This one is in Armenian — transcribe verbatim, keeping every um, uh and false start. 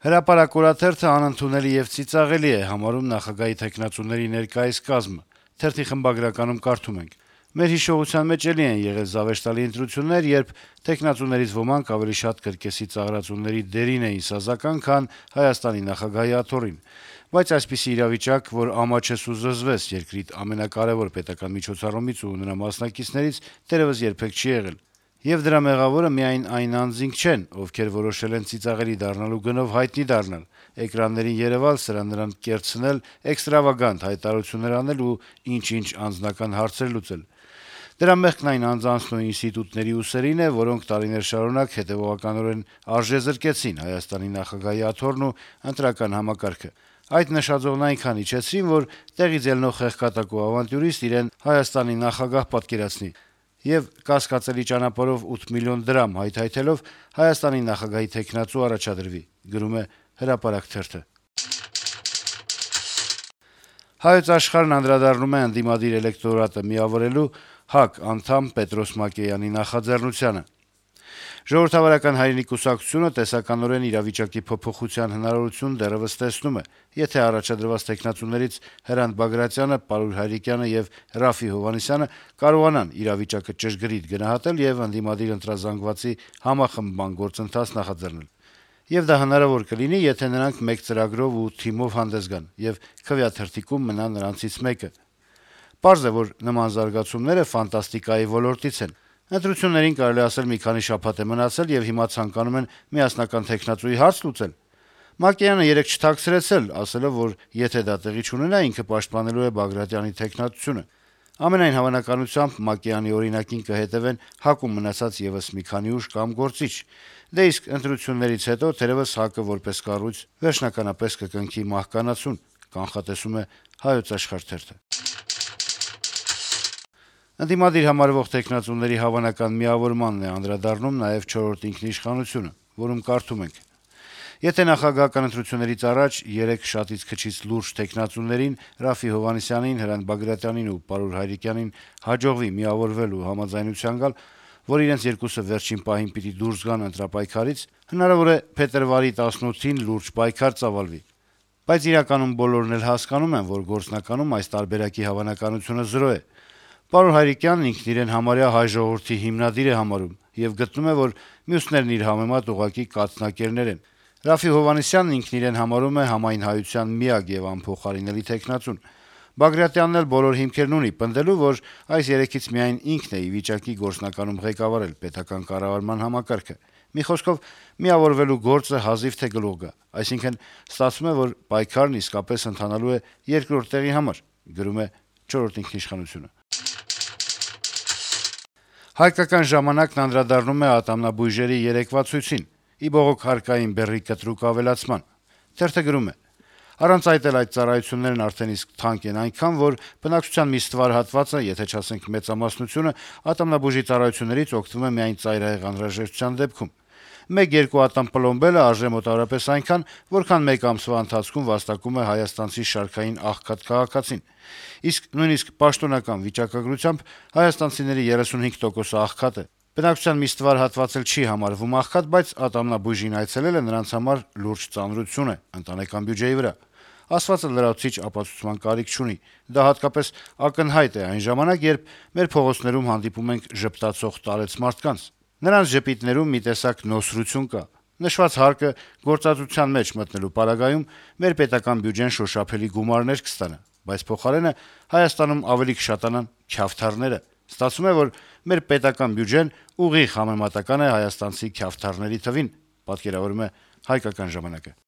Հրապարակ օրաթերթը անընդունելի եւ ծիծաղելի է համարում նախագահի թեկնածուների ներկայիս կազմը։ Թերթի խմբագրականում կարդում ենք. - «Մեր հիշողության մեջ էլի են եղել զավեշտալի ընտրություններ, երբ թեկնածուներից ոմանք ավելի շատ կրկեսի ծաղրածուների դերին էին սազական, քան Հայաստանի նախագահի աթոռին։ Բայց այսպիսի իրավիճակ, որ ամաչես ու զզվես երկրի ամենակարեւոր պետական միջոցառումից ու նրա մասնակիցներից, դեռեւս երբեք չի եղել։ Եվ դրա մեղավորը միայն այն անձինք չեն, ովքեր որոշել են ծիծաղելի դառնալու գնով հայտնի դառնալ, էկրաններին երեւալ, սրան նրան կերցնել, էքստրավագանտ հայտարարություններ անել ու ինչ-ինչ անձնական հարցեր լուծել։ Դրա մեղքն այն անձանցն ու ինստիտուտների ուսերին է, որոնք տարիներ շարունակ հետեւողականորեն արժեզրկեցին Հայաստանի նախագահի աթոռն ու ընտրական համակարգը։ Այդ նշաձողն այնքան իջեցրին, որ տեղից ելնող խեղկատակ ու ավանտյուրիստ իրեն Հայաստանի նախագահ պատկերացնի եւ կասկածելի ճանապարհով ութ միլիոն դրամ հայթայթելով Հայաստանի նախագահի թեկնածու առաջադրվի»։ «Հրապարակ» թերթը «Հայոց Աշխարհ»-ն անդրադառնում է ընդդիմադիր էլեկտորատը միավորելու ՀԱԿ անդամ Պետրոս Մակեյանի նախաձեռնությանը. - «Ժողովրդավարական հայրենի կուսակցությունը տեսականորեն իրավիճակի փոփոխության հնարավորություն դեռեւս տեսնում է, եթե առաջադրված թեկնածուներից Հրանտ Բագրատյանը, Պարուլ Հայրիկյանը եւ Րաֆֆի Հովհաննիսյանը կարողանան իրավիճակը ճշգրիտ գնահատել եւ ընդդիմադիր ընտրազանգվածի համախմբման գործընթաց նախաձեռնել։ Եվ դա հնարավոր կլինի, եթե նրանք մեկ ծրագրով ու թիմով հանդես գան եւ քվեաթերթիկում մնա նրանցից մեկը։ Պարզ է, որ նման զարգացումները ֆանտաստիկայի ոլորտից են։ Ընտրություններին կարելի ասել մի քանի շաբաթ է մնացել, եւ հիմա ցանկանում են միասնական թեկնածուի հարց լուծել։ Մակեյանը երեկ չթաքցրեց էլ, ասելով, որ եթե դա տեղի չունենա, ինքը պաշտպանելու է Բագրատյանի թեկնածությունը։ Ամենայն հավանականությամբ Մակեյանի օրինակին կհետեւեն ՀԱԿ-ում մնացած եւս մի քանի ուժ կամ գործիչ։ Դե իսկ ընտրություններից հետո թերեւս ՀԱԿ-ը որպես կառույց վերջնականապես կկնքի մահկանացուն», կանխատեսում է «Հայոց Աշխարհ» թերթը։ Ընդդիմադիր համարվող թեկնածուների հավանական միավորմանն է անդրադառնում նաեւ «Չորրորդ ինքնիշխանություն»-ը, որում կարդում ենք. - «Եթե նախագահական ընտրություններից առաջ երեք շատից քչից լուրջ թեկնածուներին՝ Րաֆֆի Հովհաննիսյանին, Հրանտ Բագրատյանին ու Պարուլ Հայրիկյանին հաջողվի միավորվել ու համաձայնության գալ, որ իրենց երկուսը վերջին պահին պիտի դուրս գան ընտրապայքարից, հնարավոր է փետրվարի տասնութին լուրջ պայքար ծավալվի։ Բայց իրականում բոլորն էլ հասկանում են, որ գործնականում այս տարբերակի հավանականությունը զրո է։ Պարուլ Հայրիկյանն ինքն իրեն համարյա հայ ժողովրդի հիմնադիր է համարում եւ գտնում է, որ մյուսներն իր համեմատ ուղղակի կաթնակերներ են։ Րաֆֆի Հովհաննիսյանն ինքն իրեն համարում է համայն հայության միակ եւ անփոխարինելի թեկնածուն։ Բագրատյանն էլ բոլոր հիմքերն ունի պնդելու, որ այս երեքից միայն ինքն է ի վիճակի գործնականում ղեկավարել պետական կառավարման համակարգը։ Մի խոսքով, միավորվելու գործը հազիվ թե գլուխ գա, այսինքն ստացվում է, որ պայքարն իսկապես ընթանալու է երկրորդ տեղի համար»։ «Չորրորդ ինքնիշխանություն»-ը «Հայկական ժամանակ»-ն անդրադառնում է ատամնաբույժերի երեկվա ցույցին՝ ի բողոք հարկային բեռի կտրուկ ավելացման։ Թերթը գրում է. - «Առանց այդ էլ այդ ծառայություններն արդեն իսկ թանկ են այնքան, որ բնակչության մի ստվար հատվածը, եթե չասենք մեծամասնությունը, ատամնաբուժի ծառայություններից օգտվում է միայն ծայրահեղ անհրաժեշտության դեպքում։ Մեկ-երկու ատամ պլոմբելը արժե մոտավորապես այնքան, որքան մեկ ամսվա ընթացքում վաստակում է հայաստանցի շարքային աղքատ քաղաքացին։ Իսկ նույնիսկ պաշտոնական վիճակագրությամբ հայաստանցիների երեսունհինգ տոկոսը աղքատ է։ Բնակչության մի ստվար հատված էլ չի համարվում աղքատ, բայց ատամնաբույժին այցելելը նրանց համար լուրջ ծանրություն է ընտանեկան բյուջեի վրա։ Ասվածը լրացուցիչ ապացուցման կարիք չունի։ Դա հատկապես ակնհայտ է այն ժամանակ, երբ մեր փողոցներում հանդիպում ենք ժպտացող տարեց մարդկանց։ Նրանց ժպիտներում մի տեսակ նոսրություն կա։ Նշված հարկը գործածության մեջ մտնելու պարագայում մեր պետական բյուջեն շոշափելի գումարներ կստանա, բայց փոխարենը Հայաստանում ավելի կշատանան քյավթարները։ Ստացվում է, որ մեր պետական բյուջեն ուղիղ համեմատական է հայաստանցի քյավթարների թվին», պատկերավորում է «Հայկական ժամանակ»-ը։